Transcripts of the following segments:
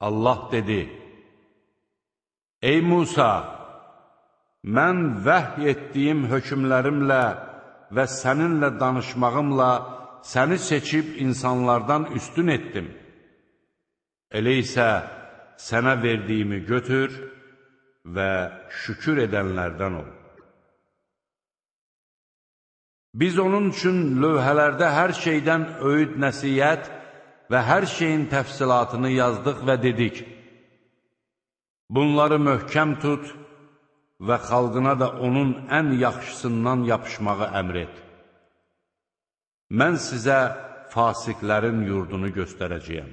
Allah dedi: Ey Musa, mən vəhy etdiyim hökmlərimlə və səninlə danışmağımla səni seçib insanlardan üstün etdim. Elə isə sənə verdiyimi götür və şükür edənlərdən ol. Biz onun üçün lövhələrdə hər şeydən öyüd nəsiyyət və hər şeyin təfsilatını yazdıq və dedik: bunları möhkəm tut və xalqına da onun ən yaxşısından yapışmağı əmr et. Mən sizə fasiqlərin yurdunu göstərəcəyəm.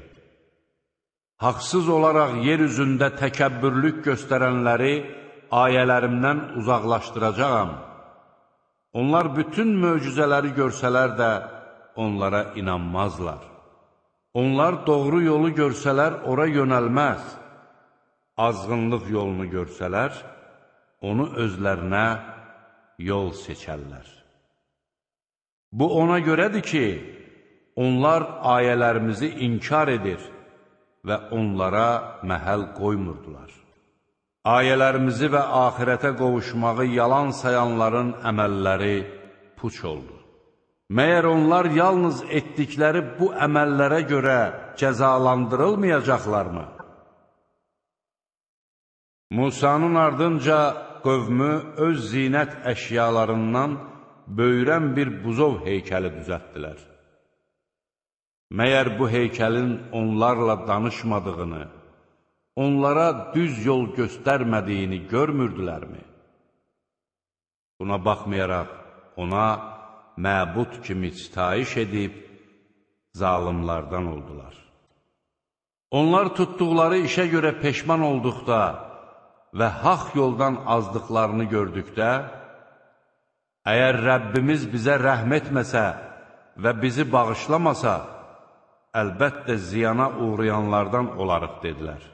Haqsız olaraq yer üzündə təkəbbürlük göstərənləri ayələrimdən uzaqlaşdıracağam. Onlar bütün möcüzələri görsələr də onlara inanmazlar. Onlar doğru yolu görsələr ora yönəlməz. Azğınlıq yolunu görsələr, onu özlərinə yol seçərlər. Bu ona görədir ki, onlar ayələrimizi inkar edir və onlara məhəl qoymurdular. Ayələrimizi və axirətə qovuşmağı yalan sayanların əməlləri puç oldu. Məyər onlar yalnız etdikləri bu əməllərə görə cəzalandırılmayacaqlarmı? Musanın ardınca qövmü öz zinət əşyalarından böyürən bir buzov heykəli düzəltdilər. Məyər bu heykəlin onlarla danışmadığını, onlara düz yol göstərmədiyini görmürdülərmi? Buna baxmayaraq ona məbud kimi sitayiş edib zalımlardan oldular. Onlar tutduqları işə görə peşman olduqda və haqq yoldan azdıqlarını gördükdə, əgər Rəbbimiz bizə rəhm etməsə və bizi bağışlamasa, əlbəttə ziyana uğrayanlardan olarıq, dedilər.